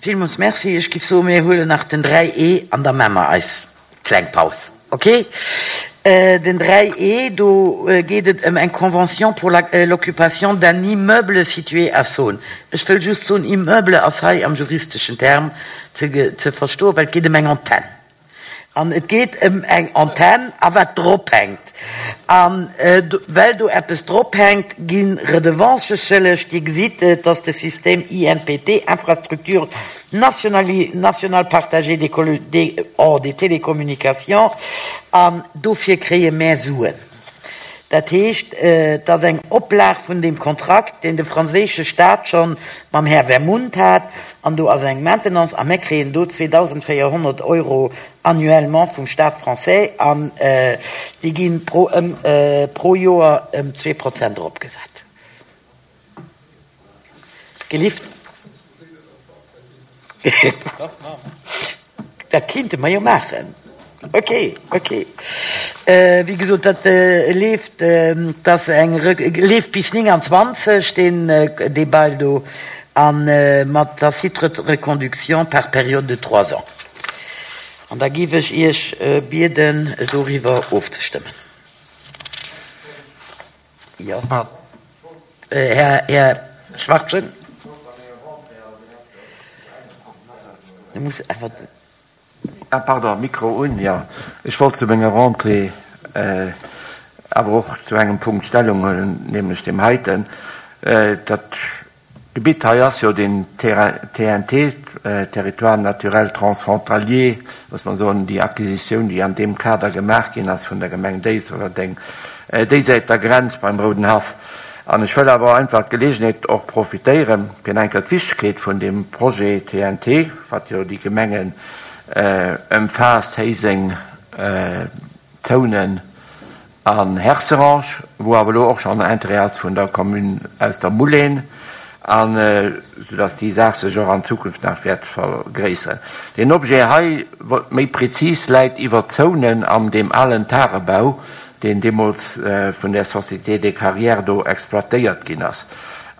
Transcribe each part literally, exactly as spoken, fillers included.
Villmools Merci. Ech giff soen, mir huelen nach den dräi E an da maache mer eis kleng Paus. Ok? Den dräi E, do geet et ëm eng Convention pour l'occupation d'un immeuble situé à Saône. Ech wëll just soen, Immeuble ass hei am juristeschen Term ze, ze verstoen, well et geet ëm eng Antenn. An et geet ëm eng Antenn a wat drop hänkt. A well do eppes drop hänkt, gi Redevancë schëlleg. Dir gesitt, et ass de Système I N P T, Infrastructure nationale partagée des, des, oh, des télécommunications, an dofir kréie mär Suen. Dat heescht, et ass eng Oplag vun deem Kontrakt, deen de franséische Staat schonn mam Här Wermunt hat, an do ass eng Maintenance, a mär kréien do zweedausendvéierhonnert Euro annuellement vum Staat français, an déi gi pro, pro Joer ëm zwee Prozent eropgesat. Gelift? Dat kinnte mer jo maachen. Ok, ok. Wéi gesot, dat leeft, dat eng leeft bis nénganzwanzeg, deen dee Bail do, a mat tacite reconduction par période de trois ans. An da giff ech Iech bieden, doriwwer ofzestëmmen. Jo. Här, Här Schwarzen? Du muss awer. Ah, pardon, Mikro un, jo. Ech wollt zu menger Rentrée awer och zu engem Punkt Stellung huelen, nämlech deem heiten. Dat Gebitt hei ass jo den T N T, Territoire naturel transfrontalier, muss man soen, déi Acquisitioun, déi an deem Kader gemaach ginn ass vun der Gemeng Déifferdeng, déi Säit der Grenz beim Rouden Haff. An ech wëll awer einfach d'Geleegenheet och profitéieren, fir eng Kéier d'Wichtegkeet vun deem Projet T N T, wat jo déi Gemengen ëmfaasst, Héiseng, Zounen an Herserange, wou awer elo och schonn Interêt ass vun der Commune aus der Moulin, an soudass déi Saach sech och an Zukunft nach wäert vergréisseren. Den Objet hei, méi prezis, läit iwwer Zounen an deem alen Tagebau, deen deemools vun der Société des Carrières do exploitéiert ginn ass.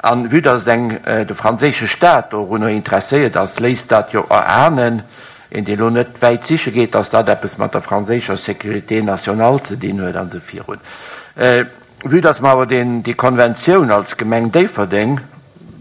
An vue dass eng de franséische Staat dorunner interesséiert ass, léisst dat jo erahnen, een dee lo net wäit siche geet, dass dat eppes mat der franséischer Sécurité nationale ze dinn huet an esou virun. Vue dass mer awer deen déi Konventioun als Gemeng Déifferdeng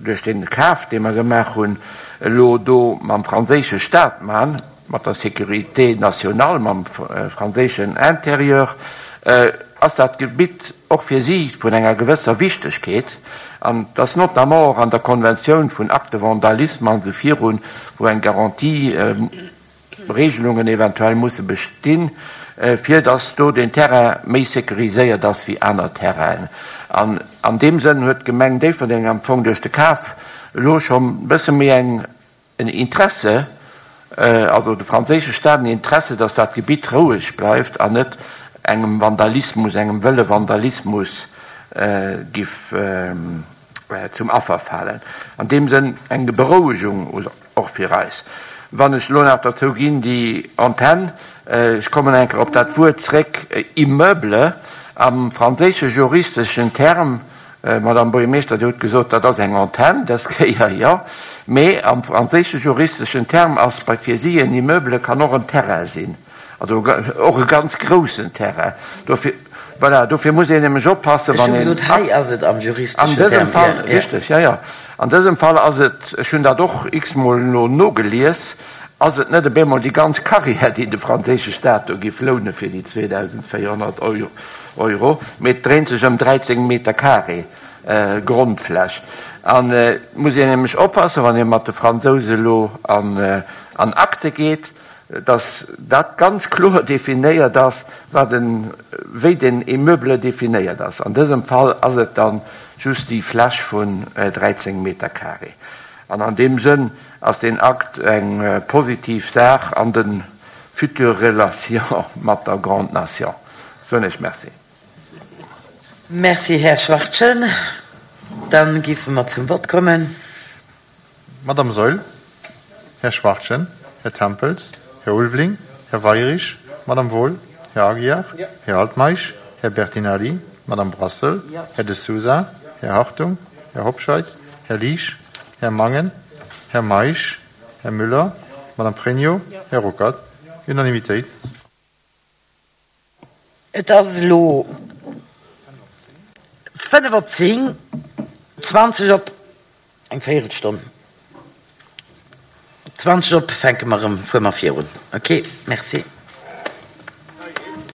duerch den Kaf, dee mer gemaach hunn, elo do mam franséische Staat man, mat der Sécurité nationale, mam franséischen Intérieur, ass dat Gebitt och fir si vun enger gewësser Wichtegkeet, an dass notamment och an der Konventioun vun Acte de vandalisme an esou virun, wou eng Garantie Regelungen eventuell musse bestinn, fir dass do den Terrain méi sécuriséiert ass wéi aner Terrainen. An an deem Sënn huet d'Gemeng Déifferdeng am Fong duerch de Kaf elo schonn e bësse méi eng en Interesse, also de franséische Staat en Interesse, dass dat Gebitt roueg bleift an net engem Vandalismus, engem wëlle Vandalismus giff zum Affer falen. An deem Sënn eng Berouegung och fir eis. Wann ech elo nach derzou ginn, déi Antenn, ech kommen eng Kéier op dat Wuert zréck, Immeuble, am franséische juristeschen Term, Madame Buergermeeschter, Dir hutt gesot, dat ass eng Antenn, dës Kéier, jo, mee am franséische juristeschen Term ass bei fir si en Immeuble kann och en Terrain sinn, also och e ganz groussen Terrain. Dofir, voilà, dofir muss een nämlech oppassen, wann een. Ech hu gesot, hei ass et am juristeschen Term. An dësem Fall, richteg, jo, jo. An dësem Fall ass et, ech hunn dat och x-mol elo nogelies, ass et net op eemol déi ganz Carrière, déi de franséische Staat do giff loune fir déi zweedausendvéierhonnert Euro, mee et dréint sech ëm dräizéng Meter carré Grondfläch. An et muss een nämlech oppassen, wann ee mat de Fransouse elo an Akte geet, dass dat ganz kloer definéiert ass, wat en, wéi den Immeuble definéiert ass. An dësem Fall ass et dann just déi Fläch vun dräizéng Meter carré. An an deem Sënn ass deen Akt eng positiv Saach an de future Relation mat der Grande Nation. Soen ech Merci. Merci, Här Schwartgen. Dann géife mer zum Vott kommen. Madame Saeul, Här Schwartgen, Här Tempels, Här Ulveling, Här Weyrich, Madame Wohl, Här Aguiar, Här Altmeisch, Här Bertinelli, Madame Brassel, Här De Sousa, Här Hartung, Här Hobscheit, Här Liesch, Här Mangen, Här Meisch, Här Müller, Madame Pregno, Här Ruckert. Unanimitéit. Et ass elo fënnef op zéng, zwanzeg op eng Véierelstonn. Zwanzeg op fänke mer erëm, fuere mer virun. Ok, merci.